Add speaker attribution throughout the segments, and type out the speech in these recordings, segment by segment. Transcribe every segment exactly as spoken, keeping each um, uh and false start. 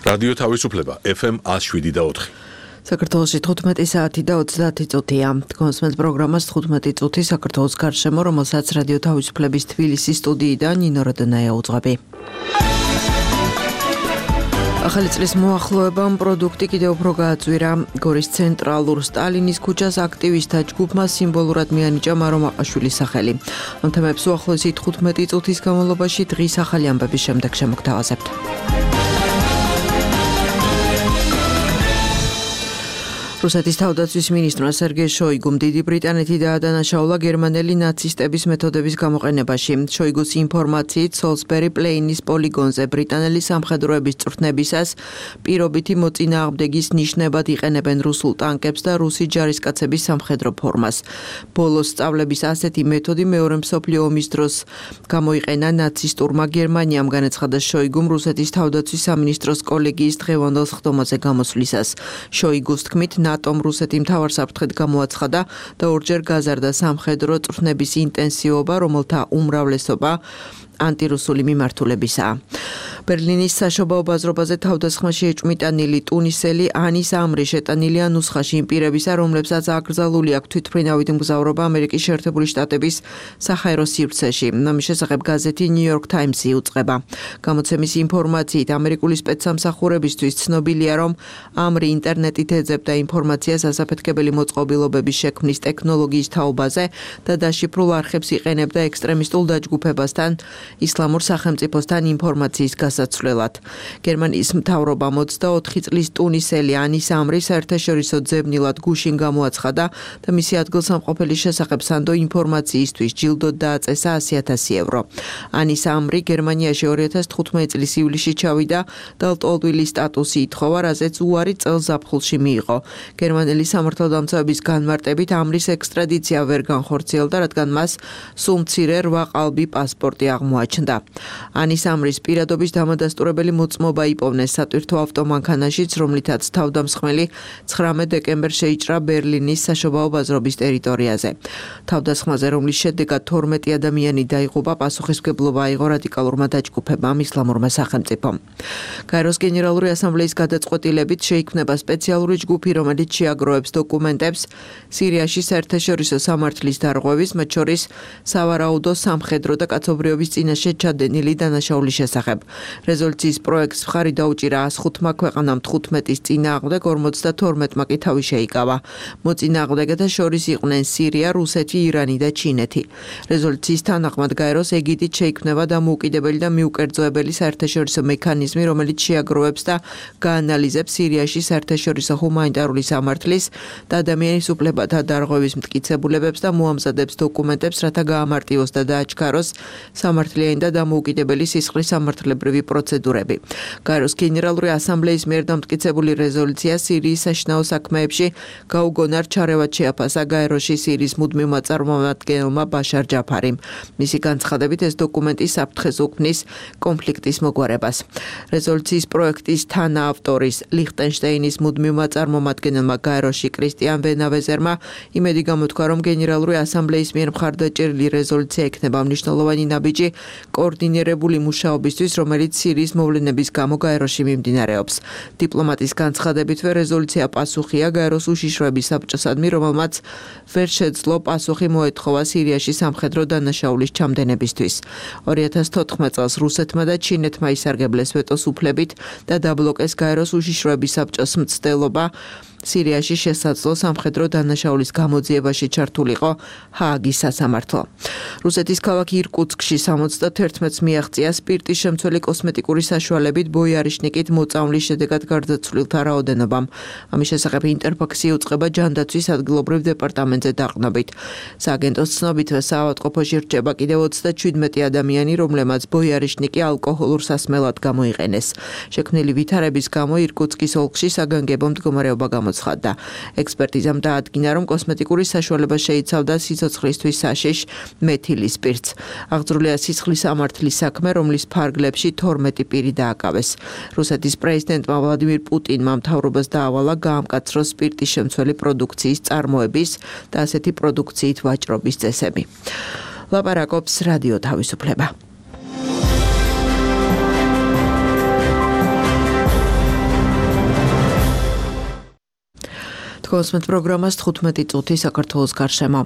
Speaker 1: რადიო თავისუფლება ეფ ემ one oh seven და four.
Speaker 2: საქართველოში თხუთმეტი საათი და ოცდაათი წუთია. Თქვენს პროგრამას თხუთმეტი წუთი საქართველოს გარშემო, რომელსაც რადიო თავისუფლების თბილისის სტუდიიდან ნინო როდონაია უძღვები. ახალი წლის მოახლოებამ პროდუქტი კიდევ უფრო გააწვირა. გორის ცენტრალურ სტალინის ქუჩას აქტივისტთა ჯგუფმა სიმბოლურად მიანიჭა მარო მაყაშვილის სახელი. ამ თემებს უახლოესი თხუთმეტი წუთის განმავლობაში დღის ახალი ამბების შემდეგ შემოგთავაზებთ. რუსეთის თავდაცვის მინისტრმა სერგეი შოიგუმ დიდი ბრიტანეთი დაადანაშაულა გერმანელი ნაცისტების მეთოდების გამოყენებაში. შოიგუს ინფორმაციით სოლსბერი პლეინის პოლიგონზე ბრიტანელი სამხედროების წვრთნებისას პირობითი მოწინააღმდეგის ნიშნებად იყენებენ რუსულ ტანკებს და რუსი ჯარისკაცების სამხედრო ფორმას. ბოლოს სწავლების ასეთი მეთოდი მეორე მსოფლიო ომის დროს გამოიყენა ნაცისტურმა გერმანიამ, განაცხადა შოიგუმ რუსეთის თავდაცვის სამინისტროს კოლეგიის დღევანდელ სხდომაზე გამოსვლისას. შოიგუს თქმით, ნატომ რუსეთი მთავარსაფრთხედ გამოაცხადა და ორჯერ გაზარდა სამხედრო წვრთნების ინტენსივობა, რომელთა უმრავლესობა ანტირუსული მიმართულებისაა. ბერლინის საშობაო ბაზრობაზე თავდასხმაში ეჭვმიტანილი ტუნისელი ანის ამრი შეტანილია ნუსხაში იმ პირებისა, რომლებსაც აკრძალული აქვს თვითმფრინავით მგზავრობა ამერიკის შეერთებული შტატების საჰაერო სივრცეში. ამის შესახებ გაზეთი New York Times-ი უწყება. გამოცემის ინფორმაციით, ამერიკული სპეცსამსახურებისთვის ცნობილია, რომ ამრი ინტერნეტით ეძებდა ინფორმაციას ასაფეთქებელი მოწყობილობების შექმნის ტექნოლოგიის თაობაზე და დაშიფრულ არხებს იყენებდა ექსტრემისტულ დაჯგუფებასთან ისლამურ სახელმწიფოსთან ინფორმაციის გასაცვლელად. გერმანიის მთავრობამ ოცდაოთხი წლის ტუნისელი ანის ამრი საერთაშორისო ძებნილად გუშინ გამოაცხადა და მისი ადგილსამყოფელის შესახებ სანდო ინფორმაციისთვის ჯილდოდ დააწესა ასი ათასი ევრო. ანის ამრი გერმანიაში ორი ათას თხუთმეტი წლის ივლისში ჩავიდა და ლტოლვილის სტატუსი ითხოვა, რაზეც უარი წელს ზაფხულში მიიღო. გერმანელი სამართალდამცავების განმარტებით ამრის ექსტრადიცია ვერ განხორციელდა, რადგან მას სულ მცირე რვა ყალბი პასპორტი აღმოაჩნდა. ანის ამრის პირადობის დამადასტურებელი მოწმობა იპოვნეს სატვირთო ავტომანქანაშიც, რომლითაც თავდამსხმელი ცხრამეტ დეკემბერს შეიჭრა ბერლინის საშობაო ბაზრობის ტერიტორიაზე. თავდასხმაზე, რომლის შედეგად თორმეტი ადამიანი დაიღუპა, პასუხისმგებლობა აიღო რადიკალურმა დაჯგუფებამ ისლამურმა სახელმწიფომ. გაეროს გენერალური ასამბლეის გადაწყვეტილებით შეიქმნება სპეციალური ჯგუფი, რომელიც შეაგროვებს დოკუმენტებს სირიაში საერთაშორისო სამართლის დარღვევის, მათ შორის სავარაუდო სამხედრო და კაცობრიობის წინაშე ჩადენილი დანაშაულის შესახებ. რეზოლუციის პროექტს მხარი დაუჭირა ას ხუთმა ქვეყანამ თხუთმეტის წინააღმდეგ, ორმოცდათორმეტმა კი თავი შეიკავა. მოწინააღმდეგეთა შორის იყვნენ სირია, რუსეთი, ირანი და ჩინეთი. რეზოლუციის თანახმად გაეროს ეგიდით შეიქმნება დამოუკიდებელი და მიუკერძოებელი საერთაშორისო მექანიზმი, რომელიც შეაგროვებს და გაანალიზებს სირიაში საერთაშორისო ჰუმანიტარული სამართლის და ადამიანის უფლებათა დარღვევის მტკიცებულებებს და მოამზადებს დოკუმენტებს, რათა გაამარტივოს და დააჩქაროს სამართლიანი და დამოუკიდებელი სისხლის სამართლებრივი პროცედურები. გაეროს გენერალური ასამბლეის მიერ დამტკიცებული რეზოლუცია სირიის საშინაო საქმეებში გაუგონარ ჩარევად შეაფასა გაეროში სირიის მუდმივმა წარმომადგენელმა ბაშარ ჯაფარიმ. მისი განცხადებით, ეს დოკუმენტი საფრთხეს უქმნის კონფლიქტის მოგვარებას. რეზოლუციის პროექტის თანაავტორის ლიხტენშტეინის მუდმივმა წარმომადგენელმა გაეროში კრისტიან ვენავეზერმა იმედი გამოთქვა, რომ გენერალური ასამბლეის მიერ მხარდაჭერილი რეზოლუცია ექნება მნიშვნელოვანი ნაბიჯი კოორდინირებული მუშაობისთვის, რომელიც სირიის მოვლენების გამო გაეროში მიმდინარეობს. დიპლომატის განცხადებითვე რეზოლუცია პასუხია გაეროს უშიშროების საბჭოსადმი, რომელმაც ვერ შეძლო პასუხი მოეთხოვა სირიაში სამხედრო დანაშაულის ჩამდენებისთვის. ორი ათას თოთხმეტ წელს რუსეთმა და ჩინეთმა ისარგებლეს ვეტოს უფლებით და დაბლოკეს გაეროს უშიშროების საბჭოს მცდელობა სირიაში შესაძლო სამხედრო დანაშაულის გამოძიებაში ჩართულიყო ჰააგის სასამართლო. რუსეთის ქალაქ ირკუტსკში სამოცდათერთმეტს მიაღწია სპირტის შემცველი კოსმეტიკური საშუალებით ბოიარიშნიკით მოწამვლის შედეგად გარდაცვლილთა რაოდენობამ. ამის შესახებ ინტერფაქსი უწყება ჯანდაცვის ადგილობრივ დეპარტამენტზე დაყნობით. სააგენტოს ცნობითვე საავადმყოფოში რჩება კიდევ ოცდაჩვიდმეტი ადამიანი, რომლებმაც ბოიარიშნიკი ალკოჰოლურ სასმელად გამოიყენეს. შექმნილი ვითარების გამო ირკუტსკის ოლქში საგანგებო მდგომარეობა გამოცხადდა. ექსპერტიზამ დაადგინა, რომ კოსმეტიკური საშუალება შეიცავდა სიცოცხლისთვის საშიშ მეთილის სპირტს. აღძრულია სისხლის სამართლის საქმე, რომლის ფარგლებში თორმეტი პირი დააკავეს. რუსეთის პრეზიდენტმა ვლადიმირ პუტინმა მთავრობას დაავალა გაამკაცროს სპირტის შემცველი პროდუქციის წარმოების და ასეთი პროდუქციით ვაჭრობის წესები. ლაპარაკობს რადიო თავისუფლება. თქოსმეთ პროგრამას თხუთმეტი წუთი საქართველოს გარშემო.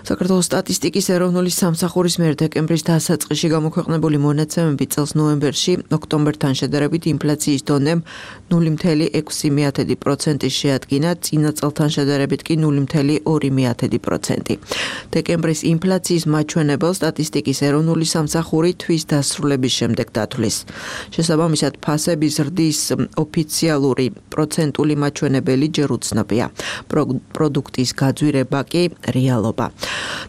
Speaker 2: საქართველოს სტატისტიკის ეროვნული სამსახურის მიერ დეკემბრის დასაწყისში გამოქვეყნებული მონაცემები წელს ნოემბერში ოქტომბერთან შედარებით ინფლაციის დონემ ნული მცდელო ექვსი პროცენტი შეადგინა, წინა წელთან შედარებით კი ნული მცდელო ორი პროცენტი. დეკემბრის ინფლაციის მაჩვენებელს სტატისტიკის ეროვნული სამსახური თვის დასრულების შემდეგ დათვლის. შესაბამისად, ფასების ზრდის ოფიციალური პროცენტული მაჩვენებელი ჯერ უცნობია. პროდუქტის გაძვირება კი რეალობა.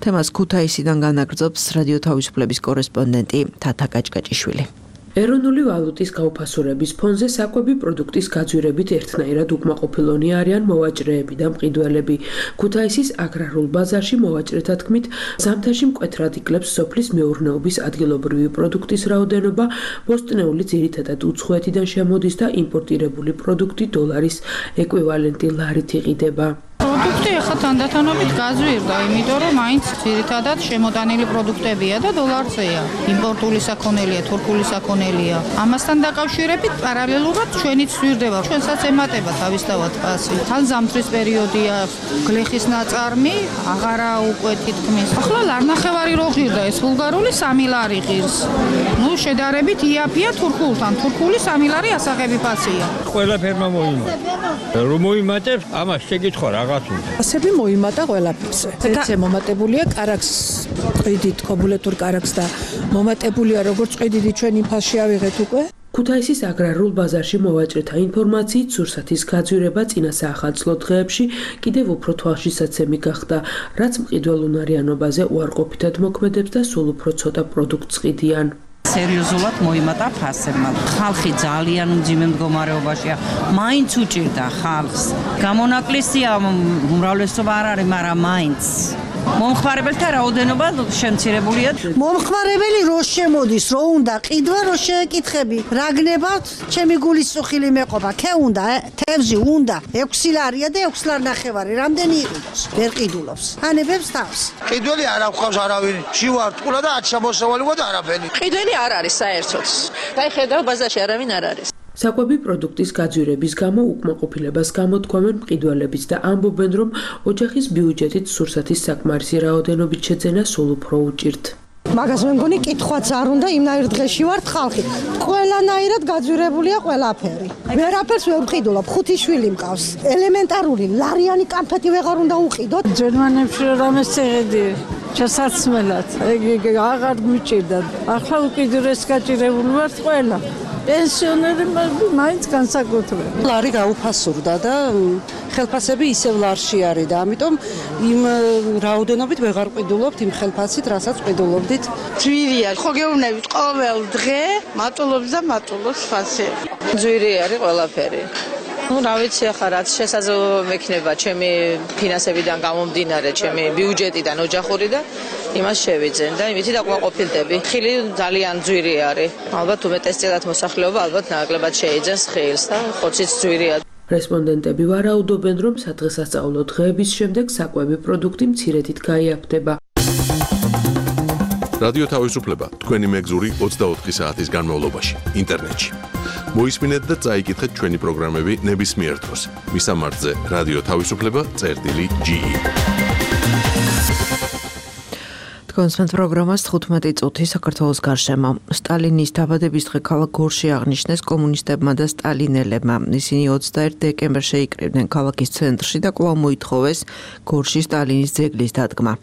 Speaker 2: თემას ქუთაისიდან განაგრძობს რადიო თავისუფლების კორესპონდენტი თათა გაჭგაჭიშვილი.
Speaker 3: ეროვნული ვალუტის გაუფასურების ფონზე საკვები პროდუქტის გაძვირებით ერთნაირად უკმაყოფილონი არიან მოვაჭრეები და მყიდველები. ქუთაისის აგრარულ ბაზარში მოვაჭრეთა თქმით, ზამთარში მკვეთრად იკლებს სოფლის მეურნეობის ადგილობრივი პროდუქტის რაოდენობა, ბოსტნეული ძირითადად უცხოეთიდან შემოდის და იმპორტირებული პროდუქტი დოლარის ეკვივალენტი ლარით იყიდება.
Speaker 4: პროდუქტი ახლა თანდათანობით გაზვირდა, იმიტომ რომ მაინც ძირითადად შემოტანილი პროდუქტებია და დოლარზეა. იმპორტული საქონელია, თურქული საქონელია. ამასთან დაკავშირებით პარალელურად ჩვენიც ზვირდება. ჩვენსაც ემატება თავისთავად ფასი. თან ზამთრის პერიოდია, გლეხის ნაწარმი აღარა უკვე თითქმის. ახლა ლარნახევარი რო ღირდა, ეს ბულგარული სამი ლარი ღირს. ნუ შედარებით იაფია თურქულთან. თურქული სამი ლარი ასაღები ფასია.
Speaker 5: ყველაფერმა მოიმატა. რომ მოიმატებს, ამას შეკითხვა რა
Speaker 6: ასები მოიმატა ყველაფერზე. ეცე მომატებულია კარაქს, ყიდით, ქობულეთურ კარაქს და მომატებულია როგორც ყიდიდი ჩვენ ინფასში ავიღეთ უკვე.
Speaker 3: ქუთაისის აგრარულ ბაზარში მოვაჭრეთა ინფორმაციით სურსათის გაძვირება წინა საახალწლო დღეებში კიდევ უფრო თვალშისაცემი გახდა, რაც მყიდველუნარიანობაზე უარყოფითად მოქმედებს და სულ უფრო ცოტა პროდუქტს ყიდიან.
Speaker 7: სერიოზულად მოიმატა ფასებმა. ხალხი ძალიან მძიმე მდგომარეობაშია. მაინც უჭირდა ხალხს. გამონაკლისია უმრავლესობა არ არის, მაგრამ მაინც მომხმარებელთა რაოდენობა შემცირებულია.
Speaker 8: მომხმარებელი რო შემოდის, რო უნდა ყიდვა, რო შეეკითხები. რა გნებავთ? ჩემი გულის წუხილი მეყობა. ქე უნდა, თევზი უნდა. ექვსი ლარია და ექვსი ლარ ნახევარი. რამდენი იყიდოს? ვერ ყიდულობს. ანებებს თავს.
Speaker 9: ყიდველი არ აქვს არავინ. შივარ ტყულა და ათ შემოსავალი და არაფერი.
Speaker 10: ყიდველი არ არის საერთოდ. დაი ხედავ ბაზარში არავინ არ არის.
Speaker 3: საკვები პროდუქტის გაძვირების გამო უკმაყოფილებას გამოთქვამენ მყიდველებიც და ამბობენ, რომ ოჯახის ბიუჯეტით სურსათის საკმარისი რაოდენობით შეძენა სულ უფრო უჭირთ.
Speaker 8: მაგას მე მგონი კითხვაც არ უნდა, იმნაირ დღეში ვართ ხალხი. ყველანაირად გაძვირებულია ყველაფერი. ვერაფერს ვერ ვყიდულობ, ხუთი შვილი მყავს. ელემენტარული ლარიანი კამფეტი ვეღარ უნდა უყიდოთ.
Speaker 6: ჯერმანებში რამეს წეღედი ჩასაცმელად. ეგ აღარ მიჭირდა. ახლა უკიდურეს გაჭირებული ვართ ყველა. პენსიონერები მაინც განსაკუთრებით.
Speaker 11: ლარი გაუფასურდა და ხელფასები ისევ ლარში არის და ამიტომ იმ რაოდენობით ვეღარ ყიდულობთ იმ ხელფასით, რასაც ყიდულობდით.
Speaker 10: ძვირია, ხო გეუბნებით ყოველ დღე მატულობს და მატულობს ფასი. ძვირი არის ყველაფერი. ну, რა ვიცი ახლა რაც შესაძლოა მექნება ჩემი ფინანსებიდან გამომდინარე, ჩემი ბიუჯეტიდან, ოჯახური და იმას შევიძენ და იმითი დაკმაყოფილდები. ხილი ძალიან ძვირი არის. ალბათ უმეტესწილად მოსახლეობა ალბათ ნაკლებად შეიძენს ხილს და ხოციც ძვირია.
Speaker 3: რესპონდენტები ვარაუდობენ, რომ სადღესასწაულო დღეების შემდეგ საკვები პროდუქტი მცირედით გაიაფდება.
Speaker 1: რადიო თავისუფლება თქვენი მეგზური ოცდაოთხი საათის განმავლობაში ინტერნეტში. მოისმინეთ და წაიკითხეთ ჩვენი პროგრამები ნებისმიერ დროს. მისამართზე რადიო თავისუფლება წერტილი ჯი.
Speaker 2: თქოსმეთ პროგრამას თხუთმეტი წუთი საქართველოს გარშემო. სტალინის დაბადების დღე ქალაქ გორში აღნიშნეს კომუნისტებმა და სტალინელებმა. ისინი ოცდაერთი დეკემბერს შეიკრიბნენ ქალაქის ცენტრში და კვლავ მოითხოვეს გორში სტალინის ძეგლის დადგმა.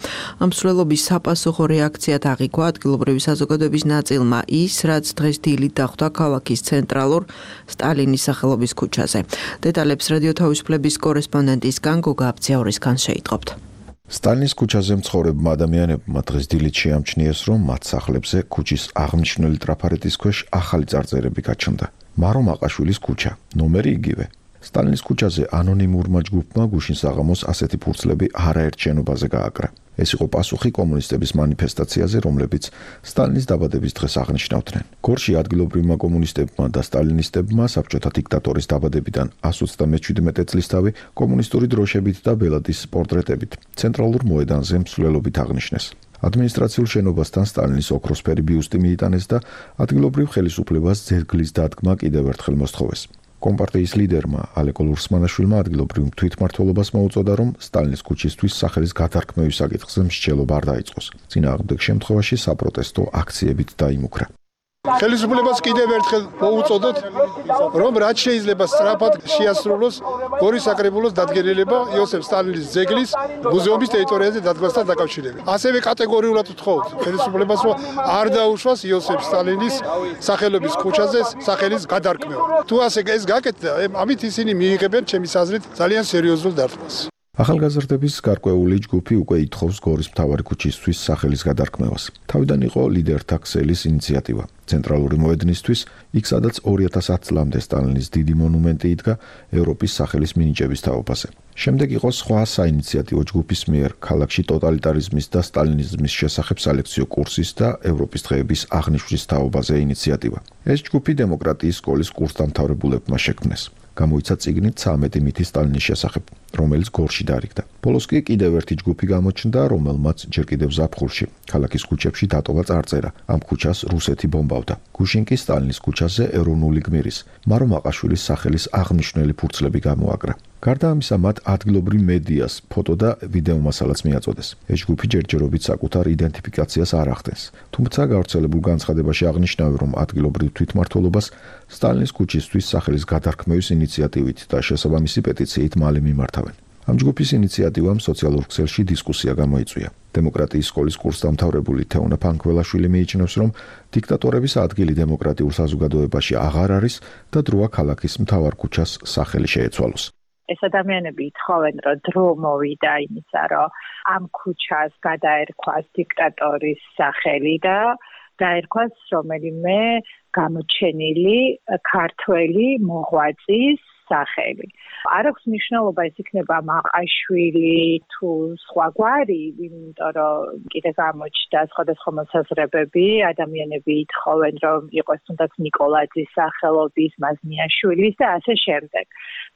Speaker 2: ამ მსვლელობის საპასუხო რეაქციად აღიქვა ადგილობრივი საზოგადოების ნაწილმა ის, რაც დღეს დილით დახვდა ქალაქის ცენტრალურ სტალინის სახელობის ქუჩაზე. დეტალებს რადიო თავისუფლების კორესპონდენტისგან გოგა აბძიაურისგან შეიტყობთ.
Speaker 12: სტალინის ქუჩაზე მცხოვრებმა ადამიანებმა დღეს დილით შეამჩნიეს, რომ მათ სახლებზე ქუჩის აღმნიშვნელი ტრაფარეთის ქვეშ ახალი წარწერები გაჩნდა. მარო მაყაშვილის ქუჩა, ნომერი იგივე. სტალინის ქუჩაზე ანონიმურმა ჯგუფმა გუშინ საღამოს ასეთი ფურცლები არაერთ შენობაზე გააკრა. ეს იყო პასუხი კომუნისტების მანიფესტაციაზე, რომლებიც სტალინის დაბადების დღეს აღნიშნავდნენ. გორში ადგილობრივმა კომუნისტებმა და სტალინისტებმა საბჭოთა დიქტატორის დაბადებიდან εκατს ოცდამეჩვიდმეტი წლისთავი კომუნისტური დროშებით და ბელადის პორტრეტებით ცენტრალურ მოედანზე მსვლელობით აღნიშნეს. ადმინისტრაციულ შენობასთან სტალინის ოქროსფერი ბიუსტი მიიტანეს და ადგილობრივ ხელისუფლებას ძეგლის დადგმა კიდევ ერთხელ მოსთხოვეს. კომპარტიის ლიდერმა ალეკო ლურსმანაშვილმა ადგილობრივ თვითმმართველობას მოუწოდა, რომ სტალინის ქუჩისთვის სახელის გადარქმევის საკითხზე მსჯელობა არ დაიწყოს. წინააღმდეგ შემთხვევაში საპროტესტო აქციებით დაიმუქრა.
Speaker 13: ხელისუფლებას კიდევ ერთხელ მოუწოდოთ, რომ რაც შეიძლება სწრაფად შეასრულოს გორის საკრებულოს დადგენილება იოსებ სტალინის ძეგლის მუზეუმის ტერიტორიაზე დადგმასთან დაკავშირებით. ასევე კატეგორიულად ვთხოვთ ხელისუფლებას, რომ არ დაუშვას იოსებ სტალინის სახელობის ქუჩაზე სახელის გადარქმევა. თუ ასე ეს გაკეთდა, ამით ისინი მიიღებენ ჩემის აზრით ძალიან სერიოზულ დარტყმას.
Speaker 12: ახალგაზრდების გარკვეული ჯგუფი უკვე ითხოვს გორის მთავარი ქუჩისთვის სახელის გადარქმევას. თავიდან იყო ლიდერთა ქსელის ინიციატივა. ცენტრალური მოედნისთვის, იქ სადაც ორი ათას ათი წლამდე სტალინის დიდი მონუმენტი იდგა ევროპის სახელის მინიჭების თაობაზე. შემდეგ იყო სხვა საინიციატივო ჯგუფის მიერ ქალაქში ტოტალიტარიზმის და სტალინიზმის შესახებ სალექციო კურსის და ევროპის დღეების აღნიშვნის თაობაზე ინიციატივა. ეს ჯგუფი დემოკრატიის სკოლის კურსდამთავრებულებმა შექმნეს. გამოიცა წიგნი ცამეტი მითი სტალინის შესახებ, რომელიც გორში დარიგდა. ბოლოს კი კიდევ ერთი ჯგუფი გამოჩნდა, რომელმაც ჯერ კიდევ ზაფხულში ქალაქის ქუჩებში დატოვა წარწერა. ამ ქუჩას რუსეთი ბომბავდა. გუშინ კი სტალინის ქუჩაზე ეროვნული გმირის მარო მაყაშვილის სახელის აღნიშნული ფურცლები გამოაკრა. გარდა ამისა, მათ ადგილობრივ მედიას ფოტო და ვიდეო მასალაც მიაწოდეს. ეს ჯგუფი ჯერჯერობით საკუთარ იდენტიფიკაციას არ ახდენს. თუმცა გავრცელებულ განცხადებაში აღნიშნავენ, რომ ადგილობრივ თვითმმართველობას სტალინის ქუჩისთვის სახელის გადარქმევის ინიციატივით და შესაბამისი პეტიციით მალე მიმართავენ. ამ ჯგუფის ინიციატივამ სოციალურ ქსელში დისკუსია გამოიწვია. დემოკრატიის სკოლის კურსდამთავრებული თეონა ფანქველაშვილი მიიჩნევს, რომ დიქტატორების ადგილი დემოკრატიულ საზოგადოებაში აღარ არის და დროა ქალაქის მთავარ ქუჩას სახელი შეეცვალოს.
Speaker 14: ეს ადამიანები ითხოვენ, რომ დრო მოვიდა იმისა, რომ ამ ქუჩას გადაერქვას დიქტატორის სახელი და დაერქვას რომელიმე გამოჩენილი ქართველი მოღვაწის სახელი. არ აქვს მნიშვნელობა ეს იქნება მაყაშვილი თუ სხვა გვარი, იმიტომ რომ კიდე გამოჩნდა სხვადასხვა მოსაზრებები, ადამიანები ითხოვენ, რომ იყოს თუნდაც ნიკოლაძის სახელობის, მაზნიაშვილის და ასე შემდეგ.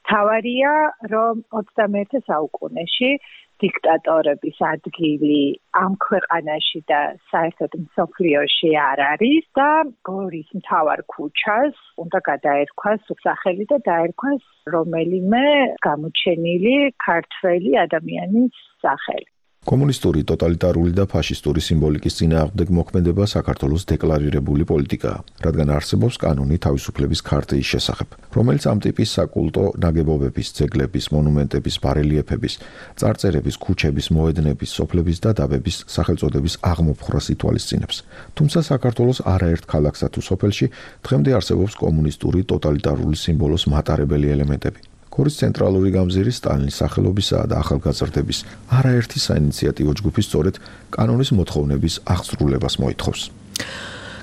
Speaker 14: თავარია, რომ ოცდამეერთე საუკუნეში დიქტატორების ადგილი ამ ქვეყანაში და საერთოდ მსოფლიოში არ არის და გორის მთავარ ქუჩას უნდა გადაერქვას სახელი და დაერქვას რომელიმე გამოჩენილი ქართველი ადამიანის სახელი.
Speaker 12: კომუნისტური, ტოტალიტარული და ფაშისტური სიმბოლიკის წინააღმდეგ მოქმედება საქართველოს დეკლარირებული პოლიტიკაა, რადგან არსებობს კანონი თავისუფლების ქარტიის შესახებ, რომელიც ამ ტიპის საკულტო ნაგებობების, ძეგლების, მონუმენტების, ბარელიეფების, წარწერების, ქუჩების, მოედნების, სოფლების და დაბების სახელწოდების აღმოფხვრას ითვალისწინებს. თუმცა საქართველოს არაერთ ქალაქსა თუ სოფელში დღემდე არსებობს კომუნისტური, ტოტალიტარული სიმბოლოს მატარებელი ელემენტები. გორის ცენტრალური გამზირი სტალინის სახელობისა და ახალგაზრდების არაერთი საინიციატივო ჯგუფი სწორედ კანონის მოთხოვნების აღსრულებას მოითხოვს.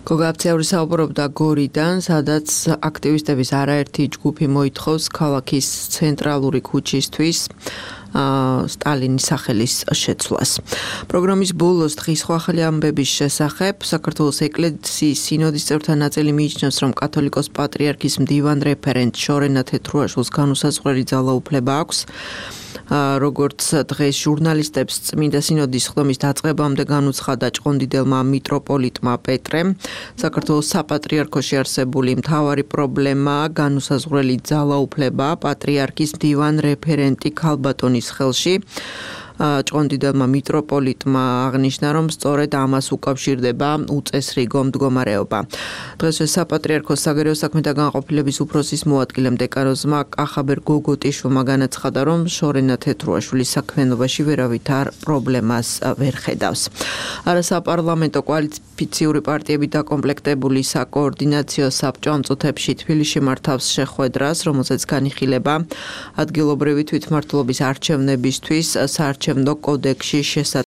Speaker 2: გოგა აფცეური საუბრობდა გორიდან, სადაც აქტივისტების არაერთი ჯგუფი მოითხოვს ქალაქის ცენტრალური ქუჩისთვის სტალინის სახელის შეცვლას. პროგრამის ბოლოს დღის ახალი ამბების შესახებ საქართველოს ეკლესიის სინოდის წევრთა ნაწილი მიიჩნევს, რომ კათოლიკოს პატრიარქის მდივან რეფერენტ შორენა თეთრუაშვილს განუსაზღვრელი ძალაუფლება აქვს. როგორც დღეს ჟურნალისტებს წმინდა სინოდის ხდომის დაწყებამდე განუცხადა ჭყონდიდელმა მიტროპოლიტმა პეტრემ, საქართველოს საპატრიარქოში არსებული მთავარი პრობლემა განუსაზღვრელი ძალაუფლება პატრიარქის მდივან რეფერენტი ქალბატონის ხელში. ჭყონდიდელმა მიტროპოლიტმა აღნიშნა, რომ სწორედ ამას უკავშირდება უწესრიგო მდგომარეობა. დღეს საპატრიარქოს საგარეო საქმეთა განყოფილების უფროსის მოადგილემ დეკანოზმა კახაბერ გოგოტიშვილმა განაცხადა, რომ შორენა თეთრუაშვილის საქმიანობაში ვერავითარ პრობლემას ვერ ხედავს. არასაპარლამენტო კოალიციური პარტიები დაკომპლექტებული საკოორდინაციო საბჭო ამ წუთებში თბილისში მართავს შეხვედრას, რომელზეც განიხილება ადგილობრივი თვითმმართველობის არჩევნებისთვის საარჩევნო კოდექსში შესატანად